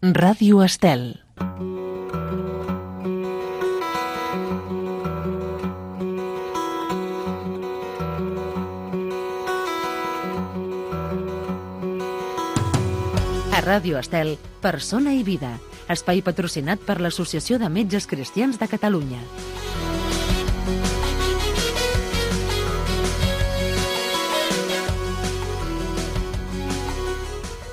Ràdio Estel. A Ràdio Estel, Persona i Vida, espai patrocinat per l'Associació de Metges Cristians de Catalunya.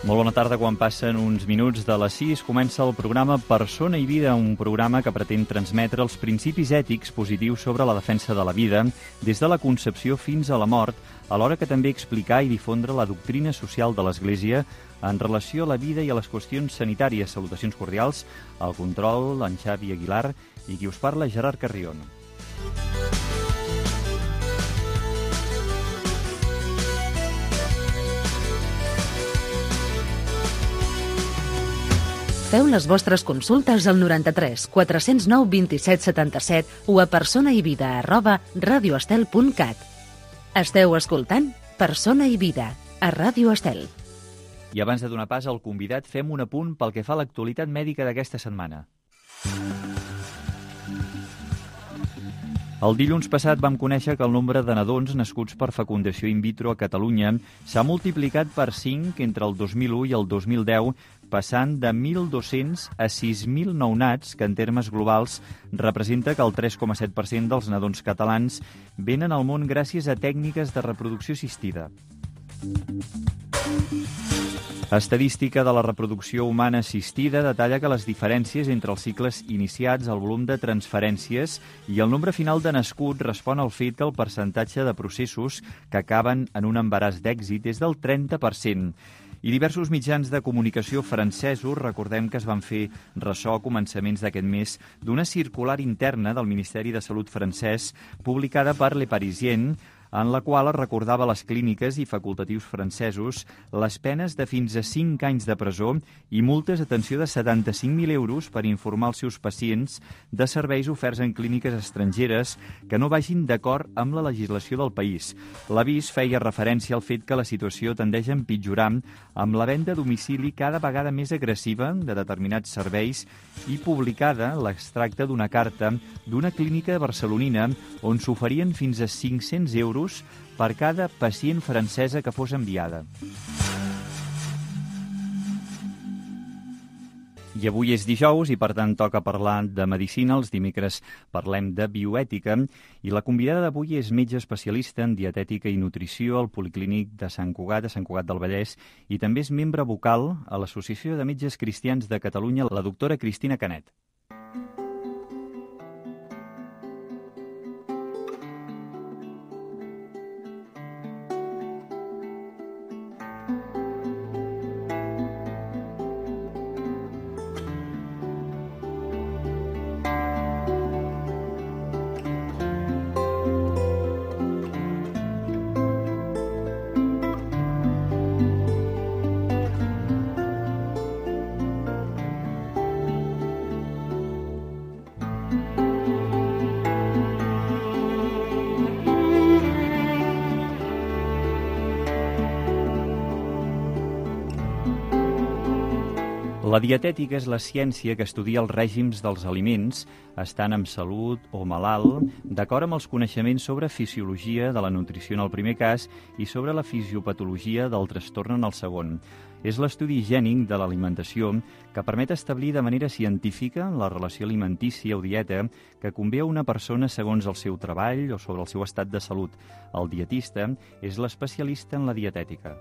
Molt bona tarda. Quan passen uns minuts de les 6 comença el programa Persona i Vida, un programa que pretén transmetre els principis ètics positius sobre la defensa de la vida des de la concepció fins a la mort, alhora que també explicar i difondre la doctrina social de l'Església en relació a la vida i a les qüestions sanitàries. Salutacions cordials, al control, en Xavi Aguilar, i qui us parla, Gerard Carrion. Feu les vostres consultes al 93 409 27 77 o a personaivida@radioestel.cat. Esteu escoltant Persona i Vida, a Ràdio Estel. I abans de donar pas al convidat, fem un apunt pel que fa a l'actualitat mèdica d'aquesta setmana. El dilluns passat vam conèixer que el nombre de nadons nascuts per fecundació in vitro a Catalunya s'ha multiplicat per 5 entre el 2001 i el 2010, passant de 1.200 a 6.000 nounats, que en termes globals representa que el 3,7% dels nadons catalans venen al món gràcies a tècniques de reproducció assistida. Estadística de la reproducció humana assistida detalla que les diferències entre els cicles iniciats, el volum de transferències i el nombre final de nascuts respon al fet que el percentatge de processos que acaben en un embaràs d'èxit és del 30%. I diversos mitjans de comunicació francesos, recordem que es van fer ressò a començaments d'aquest mes d'una circular interna del Ministeri de Salut francès publicada per Le Parisien, en la qual es recordava a les clíniques i facultatius francesos les penes de fins a 5 anys de presó i multes, atenció, de 75.000 euros per informar els seus pacients de serveis oferts en clíniques estrangeres que no vagin d'acord amb la legislació del país. L'avís feia referència al fet que la situació tendeix a empitjorar amb la venda a domicili cada vegada més agressiva de determinats serveis i publicada l'extracte d'una carta d'una clínica barcelonina on s'oferien fins a 500 euros per cada pacient francesa que fos enviada. I avui és dijous i, per tant, toca parlar de medicina. Els dimecres parlem de bioètica i la convidada d'avui és metge especialista en dietètica i nutrició al Policlínic de Sant Cugat del Vallès, i també és membre vocal a l'Associació de Metges Cristians de Catalunya, la doctora Cristina Canet. La dietètica és la ciència que estudia els règims dels aliments, estant amb salut o malalt, d'acord amb els coneixements sobre fisiologia de la nutrició en el primer cas i sobre la fisiopatologia del trastorn en el segon. És l'estudi higiènic de l'alimentació que permet establir de manera científica la relació alimentícia o dieta que convé a una persona segons el seu treball o sobre el seu estat de salut. El dietista és l'especialista en la dietètica.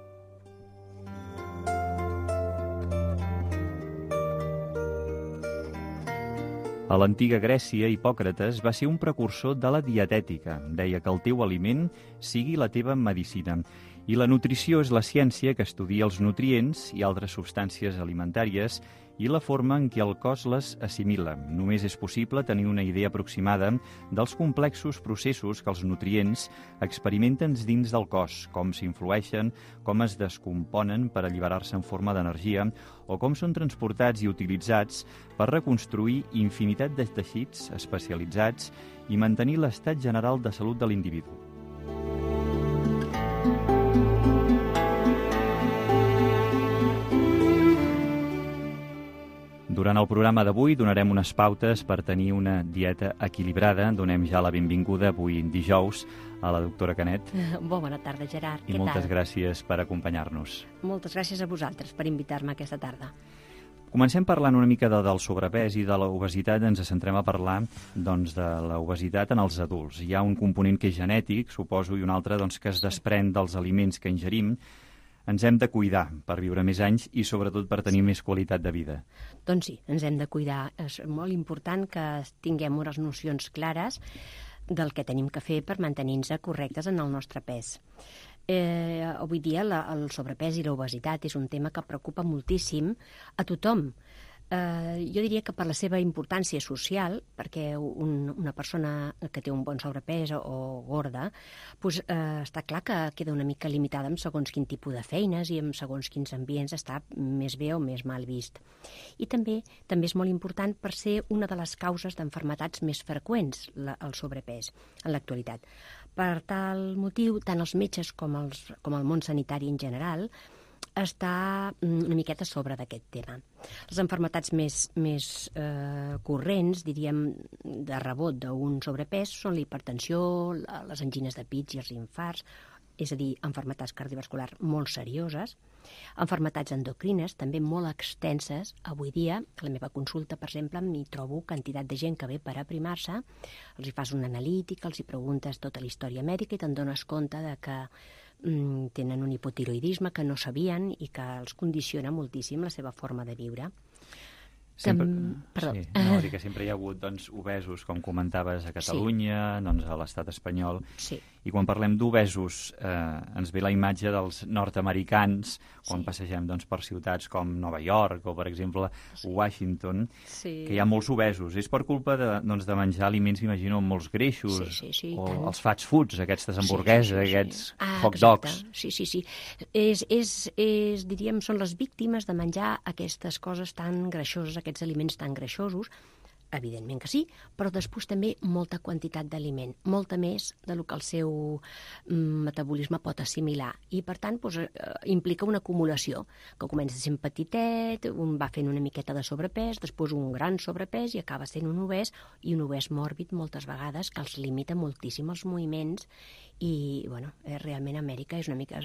A l'antiga Grècia, Hipòcrates va ser un precursor de la dietètica. Deia que el teu aliment sigui la teva medicina. I la nutrició és la ciència que estudia els nutrients i altres substàncies alimentàries i la forma en què el cos les assimila. Només és possible tenir una idea aproximada dels complexos processos que els nutrients experimenten dins del cos, com s'influeixen, com es descomponen per alliberar-se en forma d'energia o com són transportats i utilitzats per reconstruir infinitat de teixits especialitzats i mantenir l'estat general de salut de l'individu. Durant el programa d'avui donarem unes pautes per tenir una dieta equilibrada. Donem ja la benvinguda avui dijous a la doctora Canet. Bona tarda, Gerard. I moltes gràcies per acompanyar-nos. Moltes gràcies a vosaltres per invitar-me aquesta tarda. Comencem parlant una mica del sobrepès i de l'obesitat. Ens centrem a parlar doncs, de l'obesitat en els adults. Hi ha un component que és genètic, suposo, i un altre doncs, que es desprèn dels aliments que ingerim. Ens hem de cuidar per viure més anys i sobretot per tenir més qualitat de vida. Doncs sí, ens hem de cuidar. És molt important que tinguem unes nocions clares del que tenim que fer per mantenir-nos correctes en el nostre pes. Avui dia el sobrepès i l'obesitat és un tema que preocupa moltíssim a tothom. Jo diria que per la seva importància social, perquè una persona que té un bon sobrepès o gorda, doncs, està clar que queda una mica limitada en segons quin tipus de feines i en segons quins ambients està més bé o més mal vist. I també és molt important per ser una de les causes d'enfermetats més freqüents, el sobrepès, en l'actualitat. Per tal motiu, tant els metges com el món sanitari en general està una miqueta sobre d'aquest tema. Les malalties més corrents, diríem, de rebot d'un sobrepès són la hipertensió, les angines de pits i els infarts, és a dir, malalties cardiovasculars molt serioses, malalties endocrines, també molt extenses. Avui dia, a la meva consulta, per exemple, m'hi trobo quantitat de gent que ve per aprimar-se, els hi fas una analítica, els hi preguntes tota la història mèdica i te'n dones compte de que tenen un hipotiroïdisme que no sabien i que els condiciona moltíssim la seva forma de viure. Sempre hi ha hagut obesos, com comentaves, a Catalunya, a l'estat espanyol. Sí. I quan parlem d'obesos ens ve la imatge dels nord-americans quan passegem per ciutats com Nova York o, per exemple, Washington, que hi ha molts obesos. És per culpa de menjar aliments, imagino, amb molts greixos, o els fast foods, aquestes hamburgueses, aquests hot dogs. Sí. Diríem, són les víctimes de menjar aquestes coses tan greixoses, aquests aliments tan greixosos. Evidentment que sí, però després també molta quantitat d'aliment, molta més del que el seu metabolisme pot assimilar. I, per tant, implica una acumulació, que comença sent petitet, un va fent una miqueta de sobrepès, després un gran sobrepès i acaba sent un obès, i un obès mòrbid moltes vegades que els limita moltíssim els moviments i, realment Amèrica és una mica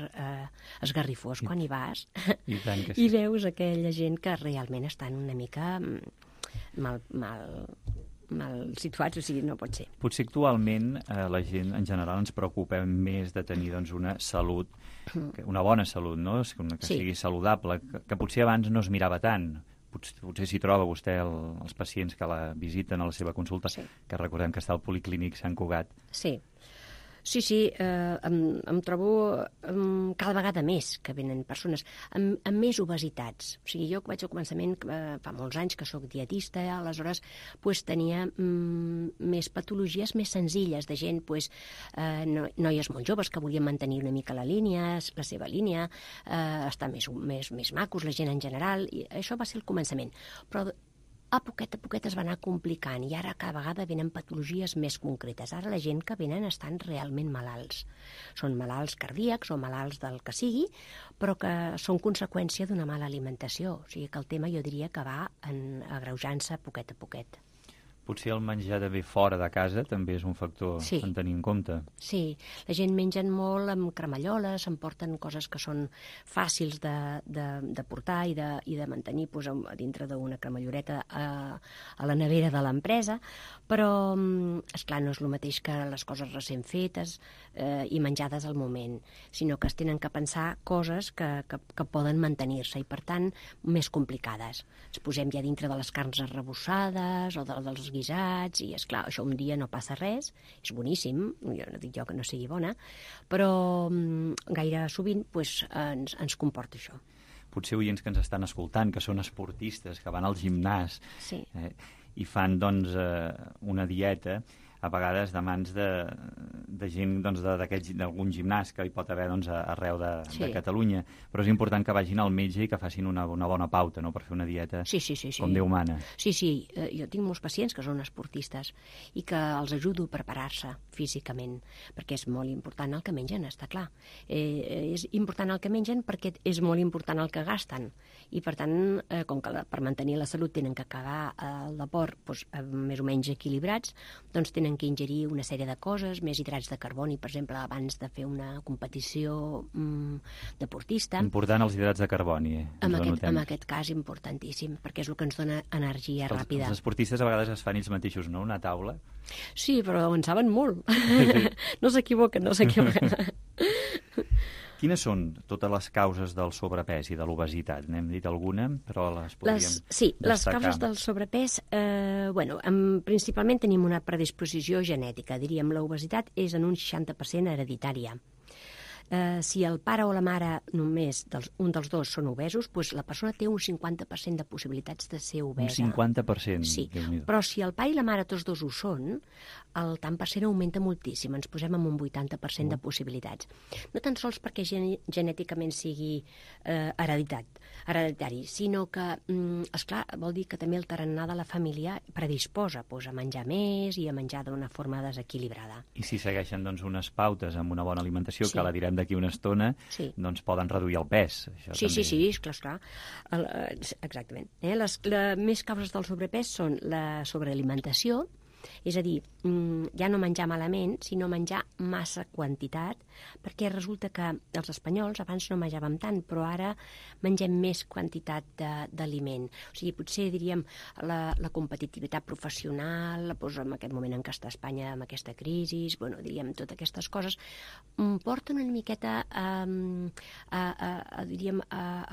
esgarrifós quan hi vas i veus aquella gent que realment estan una mica mal situats, o sigui, no pot ser. Potser actualment la gent en general ens preocupa més de tenir una salut, una bona salut, no? Que sigui saludable, que potser abans no es mirava tant. Potser s'hi troba vostè els pacients que la visiten a la seva consulta, que recordem que està al Policlínic Sant Cugat. Sí, em trobo cada vegada més que venen persones amb més obesitats. O sigui, jo vaig al començament, fa molts anys que sóc dietista, aleshores tenia més patologies més senzilles de gent, noies molt joves que volien mantenir una mica la seva línia, estar més macos, la gent en general, i això va ser el començament. Però a poquet es va anar complicant i ara cada vegada venen patologies més concretes. Ara la gent que venen estan realment malalts. Són malalts cardíacs o malalts del que sigui, però que són conseqüència d'una mala alimentació. O sigui que el tema jo diria que va agreujant-se poquet a poquet. Potser el menjar de bé fora de casa també és un factor a tenir en compte. Sí, la gent mengen molt amb cremalloles, s'emporten coses que són fàcils de portar i de mantenir dintre d'una cremalloreta a la nevera de l'empresa, però, esclar, no és el mateix que les coses recent fetes i menjades al moment, sinó que es tenen que pensar coses que poden mantenir-se i, per tant, més complicades. Ens posem ja dintre de les carns arrebossades o dels guisats, i esclar, això un dia no passa res, és boníssim, jo no dic jo que no sigui bona, però gaire sovint ens comporta això. Potser oients que ens estan escoltant, que són esportistes, que van al gimnàs i fan una dieta, a vegades de mans de gent d'algun gimnàs que hi pot haver arreu de Catalunya, però és important que vagin al metge i que facin una bona pauta, no?, per fer una dieta com Déu mana. Sí, jo tinc molts pacients que són esportistes i que els ajudo a preparar-se físicament, perquè és molt important el que mengen, està clar. És important el que mengen perquè és molt important el que gasten, i per tant, com que per mantenir la salut tenen que acabar el deport més o menys equilibrats, doncs tenen que ingerir una sèrie de coses, més hidrats de carboni, per exemple, abans de fer una competició deportista. Important els hidrats de carboni. En aquest cas, importantíssim, perquè és el que ens dona energia ràpida. Els esportistes a vegades es fan ells mateixos, no?, una taula. Sí, però en saben molt. No s'equivoquen. Quines són totes les causes del sobrepès i de l'obesitat? N'hem dit alguna, però les podríem destacar. Sí, les causes del sobrepès, principalment tenim una predisposició genètica. Diríem, l'obesitat és en un 60% hereditària. Si el pare o la mare només un dels dos són obesos, doncs la persona té un 50% de possibilitats de ser obesa. Un 50%? Sí, però si el pare i la mare tots dos ho són, el tant per cent augmenta moltíssim. Ens posem en un 80% de possibilitats. No tan sols perquè genèticament sigui hereditari, sinó que, esclar, vol dir que també el tarannà de la família predisposa a menjar més i a menjar d'una forma desequilibrada. I si segueixen unes pautes amb una bona alimentació, que la direm d'aquí una estona, doncs poden reduir el pes. Sí, esclar. Exactament. Les més causes del sobrepès són la sobrealimentació, és a dir, ja no menjar malament, sinó menjar massa quantitat, perquè resulta que els espanyols abans no menjàvem tant, però ara mengem més quantitat d'aliment. O sigui, potser diríem la competitivitat professional, en aquest moment en què està Espanya amb aquesta crisi, diríem, totes aquestes coses, porten una miqueta a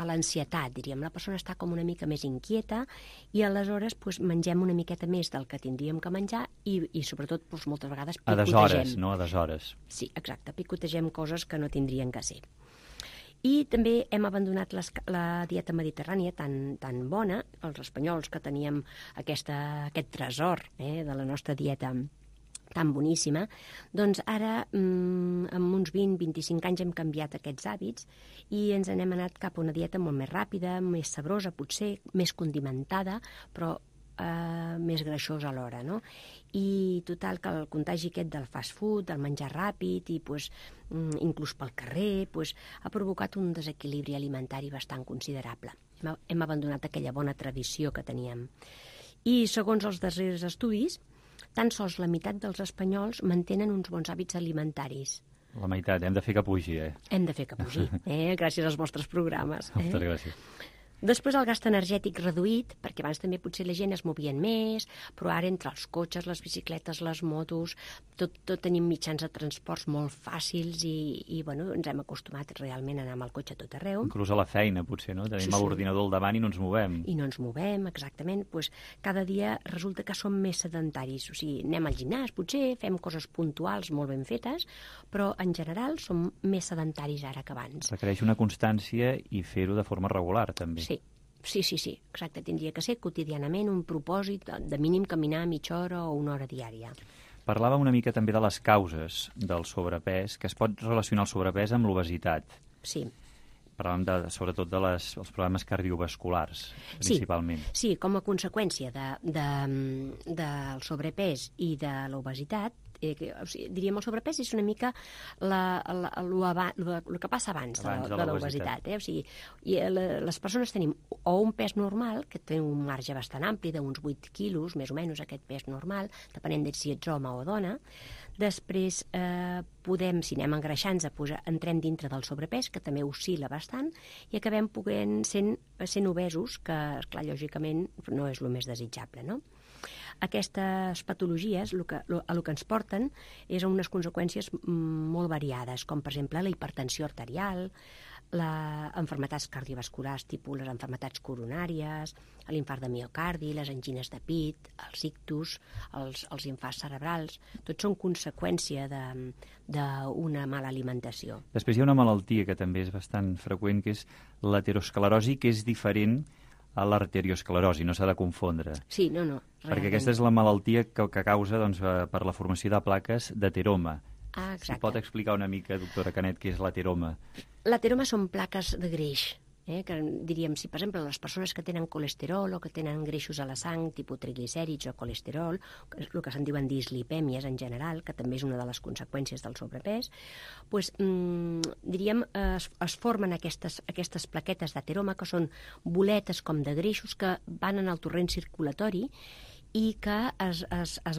l'ansietat, diríem. La persona està com una mica més inquieta i aleshores mengem una miqueta més del que tindríem que menjar i sobretot moltes vegades picotegem. A deshores, no a deshores. Sí, exacte, picotegem coses que no tindrien que ser. I també hem abandonat la dieta mediterrània tan bona, els espanyols que teníem aquest tresor de la nostra dieta tan boníssima, doncs ara, en uns 20-25 anys hem canviat aquests hàbits i ens n'hem anat cap a una dieta molt més ràpida, més sabrosa potser, més condimentada, però més greixosa alhora, no? I total, que el contagi aquest del fast food, del menjar ràpid i inclús pel carrer, ha provocat un desequilibri alimentari bastant considerable. Hem abandonat aquella bona tradició que teníem. I segons els darrers estudis, tan sols la meitat dels espanyols mantenen uns bons hàbits alimentaris. La meitat, hem de fer que pugi, Hem de fer que pugi, gràcies als vostres programes. Moltes gràcies. Després el gast energètic reduït, perquè abans també potser la gent es movien més, però ara entre els cotxes, les bicicletes, les motos, tot tenim mitjans de transports molt fàcils i ens hem acostumat realment a anar amb el cotxe a tot arreu. Inclús a la feina, potser, no? Tenim l'ordinador al davant i no ens movem. I no ens movem, exactament. Cada dia resulta que som més sedentaris. O sigui, anem al gimnàs, potser, fem coses puntuals molt ben fetes, però en general som més sedentaris ara que abans. Requereix una constància i fer-ho de forma regular, també. Sí, exacte. Tindria que ser quotidianament un propòsit de mínim caminar mitja hora o una hora diària. Parlàvem una mica també de les causes del sobrepès, que es pot relacionar el sobrepès amb l'obesitat. Sí. Parlàvem sobretot dels problemes cardiovasculars, principalment. Sí, com a conseqüència del sobrepès i de l'obesitat, diríem el sobrepès és una mica el que passa abans de l'obesitat. O sigui, les persones tenim o un pes normal, que té un marge bastant ampli, d'uns 8 quilos, més o menys aquest pes normal, depenent de si ets home o dona. Després podem, si anem engreixant, entrem dintre del sobrepès, que també oscil·la bastant, i acabem sent obesos, que, esclar, lògicament no és el més desitjable, no? Aquestes patologies el que ens porten és a unes conseqüències molt variades, com per exemple la hipertensió arterial, les malalties cardiovasculars, tipus les malalties coronàries, l'infart de miocardi, les angines de pit, els ictus, els infarts cerebrals, tots són conseqüència d'una mala alimentació. Després hi ha una malaltia que també és bastant freqüent, que és l'aterosclerosi, que és diferent a l'arteriosclerosi, no s'ha de confondre. Sí, no. Perquè Realment. aquesta és la malaltia que causa doncs, per la formació de plaques d'ateroma. Exacte. Si pot explicar una mica, doctora Canet, què és l'ateroma? L'ateroma són plaques de greix, que diríem, si per exemple les persones que tenen colesterol o que tenen greixos a la sang, tipus triglicèrids o colesterol, el que se'n diuen dislipèmies en general, que també és una de les conseqüències del sobrepès, doncs, diríem, es formen aquestes plaquetes d'ateroma, que són boletes com de greixos que van en el torrent circulatori i que es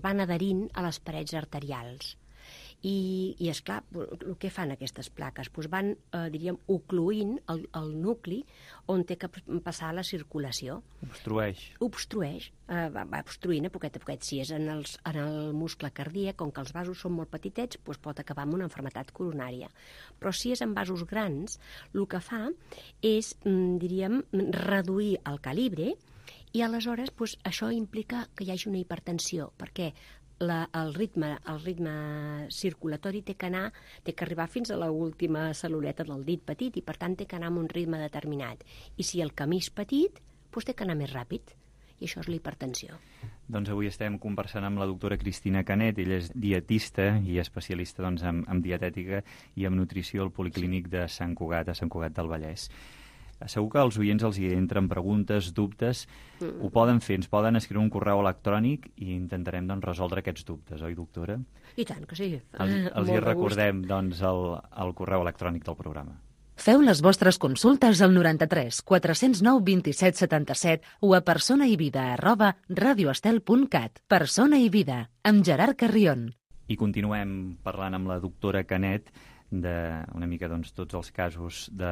van adherint a les parets arterials. I esclar, el que fan aquestes plaques? Doncs van, diríem, ocluint el nucli on té que passar la circulació. Obstrueix, va obstruint a poquet a poquet. Si és en el muscle cardíac, com que els vasos són molt petitets, doncs pot acabar amb una malaltia coronària. Però si és en vasos grans, el que fa és, diríem, reduir el calibre i aleshores doncs, això implica que hi hagi una hipertensió, perquè el ritme circulatori té que arribar fins a l'última cel·luleta del dit petit i per tant té que anar amb un ritme determinat. I si el camí és petit, doncs té que anar més ràpid. I això és la hipertensió. Doncs avui estem conversant amb la doctora Cristina Canet. Ella és dietista i especialista doncs, en dietètica i en nutrició al Policlínic de Sant Cugat, a Sant Cugat del Vallès. Segur que als oients els hi entren preguntes, dubtes. Ho poden fer, ens poden escriure un correu electrònic i intentarem doncs, resoldre aquests dubtes, oi, doctora? I tant que sí. Els hi recordem doncs, el correu electrònic del programa. Feu les vostres consultes al 93 409 27 77 o a personaivida@radioestel.cat. Persona i Vida, amb Gerard Carrion. I continuem parlant amb la doctora Canet una mica doncs, tots els casos de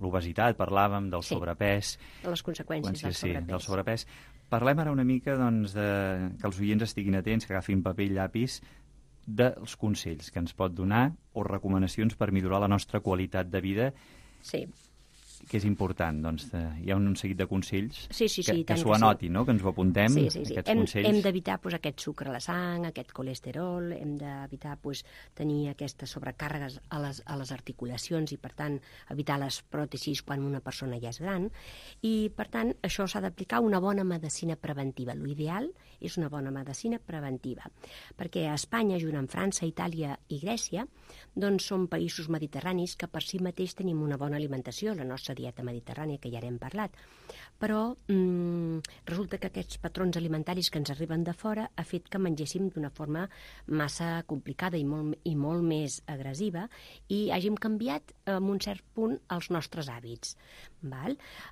l'obesitat, parlàvem del sobrepès. De les conseqüències del sobrepès. Parlem ara una mica doncs, que els oients estiguin atents, que agafin paper i llapis, dels consells que ens pot donar o recomanacions per millorar la nostra qualitat de vida. Sí. Que és important, doncs, hi ha un seguit de consells que s'ho anotin, no? Que ens ho apuntem, aquests consells. Hem d'evitar aquest sucre a la sang, aquest colesterol, hem d'evitar tenir aquestes sobrecàrregues a les articulacions i, per tant, evitar les pròtesis quan una persona ja és gran. I, per tant, això s'ha d'aplicar una bona medicina preventiva. L'ideal és una bona medicina preventiva, perquè a Espanya, junt amb França, Itàlia i Grècia, doncs són països mediterranis que per si mateix tenim una bona alimentació, la nostra dieta mediterrània, que ja n'hem parlat. Però resulta que aquests patrons alimentaris que ens arriben de fora ha fet que mengéssim d'una forma massa complicada i molt més agressiva i hàgim canviat en un cert punt els nostres hàbits.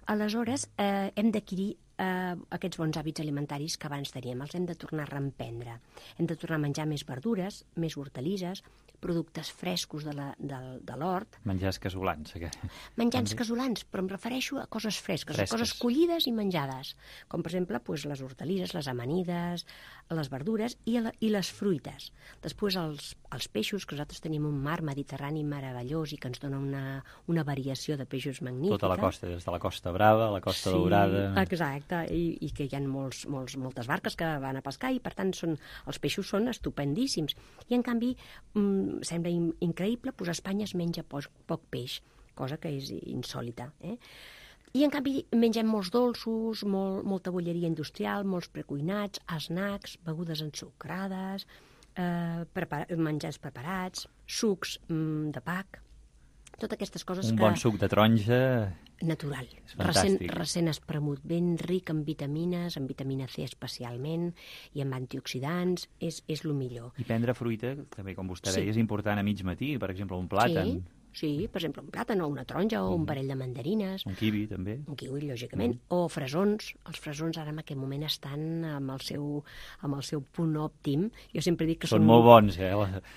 Aleshores, hem d'adquirir aquests bons hàbits alimentaris que abans teníem, els hem de tornar a reemprendre. Hem de tornar a menjar més verdures, més hortalisses, productes frescos de l'hort. Menjars casolans. Menjars casolans, però em refereixo a coses fresques, a coses collides i menjades, com per exemple les hortalisses, les amanides, les verdures i les fruites. Després els peixos, que nosaltres tenim un mar mediterrani meravellós i que ens dona una variació de peixos magnífica. Tota la costa, des de la Costa Brava, la Costa Daurada. Exacte, i que hi ha moltes barques que van a pescar i per tant els peixos són estupendíssims. I en canvi sembla increïble, a Espanya es menja poc peix, cosa que és insòlita. I en canvi mengem molts dolços, molta bolleria industrial, molts precuinats, snacks, begudes ensucrades, menjars preparats, sucs de pac, totes aquestes coses Un bon suc de taronja... Natural, recent espremut, ben ric en vitamines, en vitamina C especialment, i en antioxidants, és el millor. I prendre fruita, també com vostè deia, és important a mig matí, per exemple, un plàtan. Sí, per exemple, un plàtan o una taronja o un parell de mandarines. Un kiwi, també. Un kiwi, lògicament. O fresons. Els fresons ara en aquest moment estan amb el seu punt òptim. Jo sempre dic que són... Són molt bons,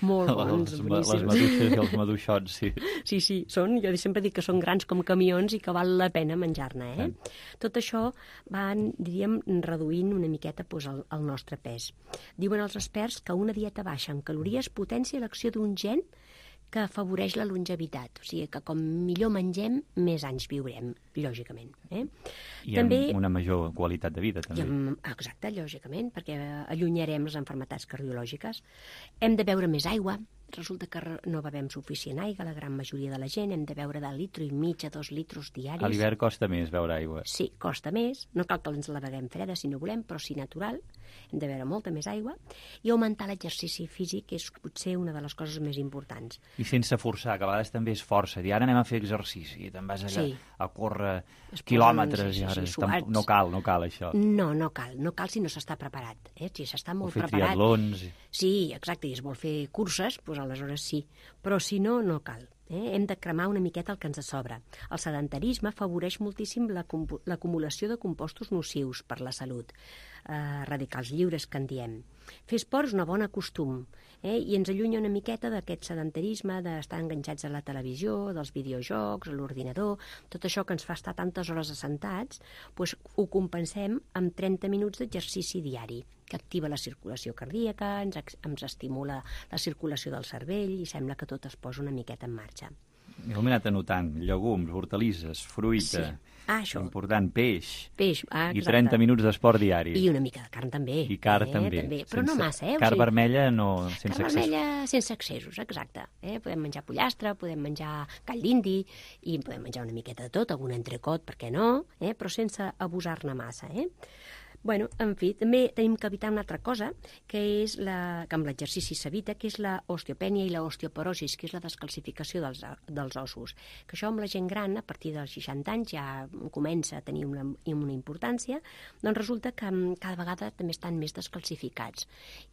Molt bons, Les boníssims. maduixes i els maduixots, sí. Sí, jo sempre dic que són grans com camions i que val la pena menjar-ne, Tot això va, diríem, reduint una miqueta el nostre pes. Diuen els experts que una dieta baixa en calories potencia l'acció d'un gen que afavoreix la longevitat. O sigui que com millor mengem, més anys viurem, lògicament. I també, amb una major qualitat de vida, també. Exacte, lògicament, perquè allunyarem les malalties cardiològiques. Hem de beure més aigua, resulta que no bevem suficient aigua, la gran majoria de la gent, hem de beure de 1,5 litres a 2 litres diaris. A l'hivern costa més beure aigua. Sí, costa més, no cal que ens la beguem freda si no volem, però sí natural, hem de beure molta més aigua, i augmentar l'exercici físic és potser una de les coses més importants. I sense forçar, que a vegades també és força, dir ara anem a fer exercici, i te'n vas allà a córrer quilòmetres, i ara no cal això. No cal si no s'està preparat, si s'està molt preparat. O fer triatlons. Sí, exacte, i es vol fer curses, doncs aleshores sí, però si no, no cal. Hem de cremar una miqueta el que ens sobra. El sedentarisme afavoreix moltíssim l'acumulació de compostos nocius per la salut, radicals lliures que en diem. Fer esport és un bon costum i ens allunya una miqueta d'aquest sedentarisme, d'estar enganxats a la televisió, dels videojocs, a l'ordinador, tot això que ens fa estar tantes hores assentats, doncs ho compensem amb 30 minuts d'exercici diari, que activa la circulació cardíaca, ens estimula la circulació del cervell i sembla que tot es posa una miqueta en marxa. Jo m'he anat anotant llegums, hortalisses, fruita, important, peix, i 30 minuts d'esport diari. I una mica de carn també. I carn també. Però no massa, Carn vermella sense excessos. Carn vermella sense excessos, exacte. Podem menjar pollastre, podem menjar gall d'indi, i podem menjar una miqueta de tot, algun entrecot, per què no, però sense abusar-ne massa, Bueno, en fi, també tenim que evitar una altra cosa, que és que amb l'exercici s'evita, que és l'osteopènia i l'osteoporosis, que és la descalcificació dels ossos. Que això amb la gent gran, a partir dels 60 anys, ja comença a tenir una importància, doncs resulta que cada vegada també estan més descalcificats.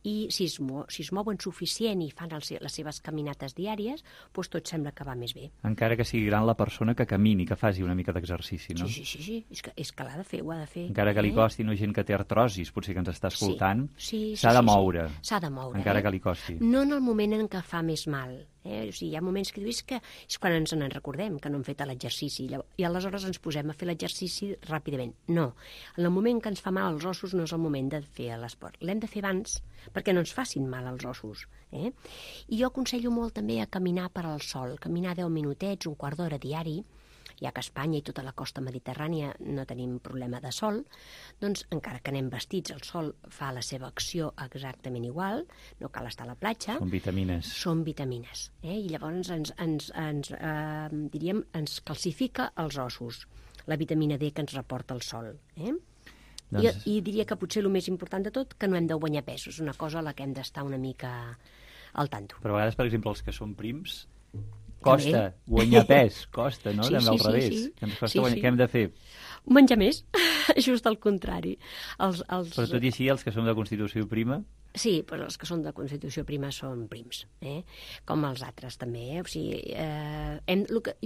I si es mouen suficient i fan les seves caminates diàries, doncs tot sembla que va més bé. Encara que sigui gran la persona que camini, que faci una mica d'exercici, no? Sí. És que l'ha de fer, ho ha de fer. Encara que li costi, no, gent que té artrosis, potser que ens està escoltant, s'ha de moure. S'ha de moure. Encara que li costi. No en el moment en què fa més mal. O sigui, hi ha moments que dius que és quan ens en recordem, que no hem fet l'exercici, i aleshores ens posem a fer l'exercici ràpidament. No. En el moment que ens fa mal als ossos no és el moment de fer l'esport. L'hem de fer abans perquè no ens facin mal als ossos. I jo aconsello molt també a caminar per al sol, caminar 10 minutets, un quart d'hora diari, ja que a Espanya i tota la costa mediterrània no tenim problema de sol, doncs encara que anem vestits, el sol fa la seva acció exactament igual, no cal estar a la platja. Són vitamines. Són vitamines. I llavors ens calcifica els ossos, la vitamina D que ens reporta el sol. I diria que potser el més important de tot, que no hem de guanyar pes, és una cosa a la que hem d'estar una mica al tanto. Però a vegades, per exemple, els que són prims, costa guanyar pes, costa, no? També al revés. Què hem de fer? Menjar més, just al contrari. Però tot i així, els que som de constitució prima... Sí, però els que són de constitució prima són prims, com els altres també. O sigui,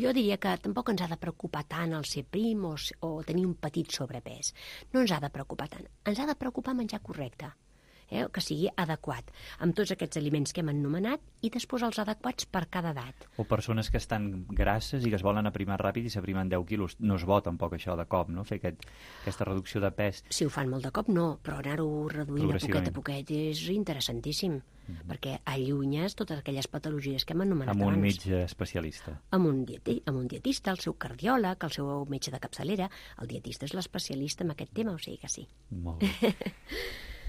jo diria que tampoc ens ha de preocupar tant el ser prim o tenir un petit sobrepès. No ens ha de preocupar tant. Ens ha de preocupar menjar correcte. Que sigui adequat, amb tots aquests aliments que hem anomenat i després els adequats per cada edat. O persones que estan grasses i que es volen aprimar ràpid i s'aprimen 10 quilos. No es bo tampoc això de cop, no? Fer aquesta reducció de pes. Si ho fan molt de cop, no, però anar-ho reduint a poquet a poquet és interessantíssim, perquè allunyes totes aquelles patologies que hem anomenat abans. Amb un metge especialista. Amb un dietista, el seu cardiòleg, el seu metge de capçalera. El dietista és l'especialista en aquest tema, o sigui que sí. Molt bé.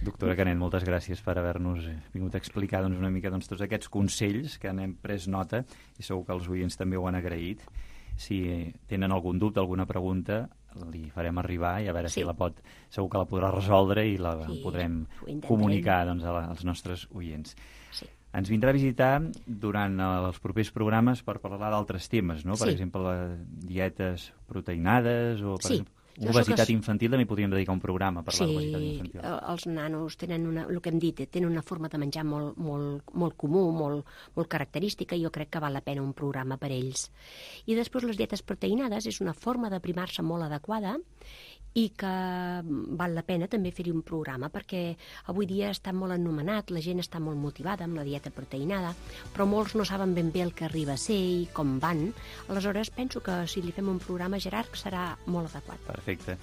Doctora Canet, moltes gràcies per haver-nos vingut a explicar una mica tots aquests consells que n'hem pres nota i segur que els oients també ho han agraït. Si tenen algun dubte, alguna pregunta, li farem arribar i a veure si segur que la podrà resoldre i la podrem comunicar als nostres oients. Sí. Ens vindrà a visitar durant els propers programes per parlar d'altres temes, no? Per exemple, dietes proteinades o... Per exemple, obesitat infantil, també podríem dedicar un programa a parlar d'obesitat infantil. Sí, els nanos tenen el que hem dit, tenen una forma de menjar molt comú, molt característica, i jo crec que val la pena un programa per ells. I després les dietes proteinades és una forma d'aprimar-se molt adequada i que val la pena també fer-hi un programa, perquè avui dia està molt anomenat, la gent està molt motivada amb la dieta proteinada, però molts no saben ben bé el que arriba a ser i com van. Aleshores penso que si li fem un programa, Gerard, serà molt adequat. Perfecte.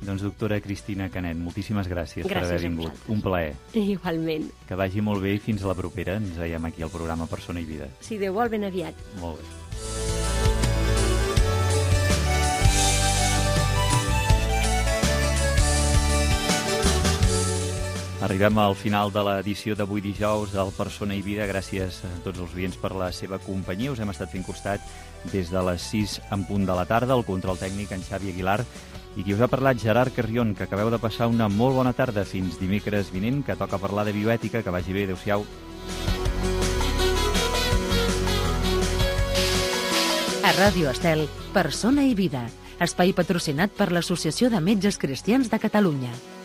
Doncs doctora Cristina Canet, moltíssimes gràcies per haver vingut. Un plaer. Igualment. Que vagi molt bé i fins a la propera. Ens veiem aquí al programa Persona i Vida. Si Déu vol, ben aviat. Molt bé. Arribem Arribem al final de l'edició d'avui dijous del Persona i Vida. Gràcies a tots els oients per la seva companyia. Us hem estat fent costat des de les 6 en punt de la tarda. El control tècnic, en Xavi Aguilar. I qui us ha parlat, Gerard Carrion, que acabeu de passar una molt bona tarda. Fins dimecres vinent, que toca parlar de bioètica. Que vagi bé. Adéu-siau. A Ràdio Estel, Persona i Vida, espai patrocinat per l'Associació de Metges Cristians de Catalunya.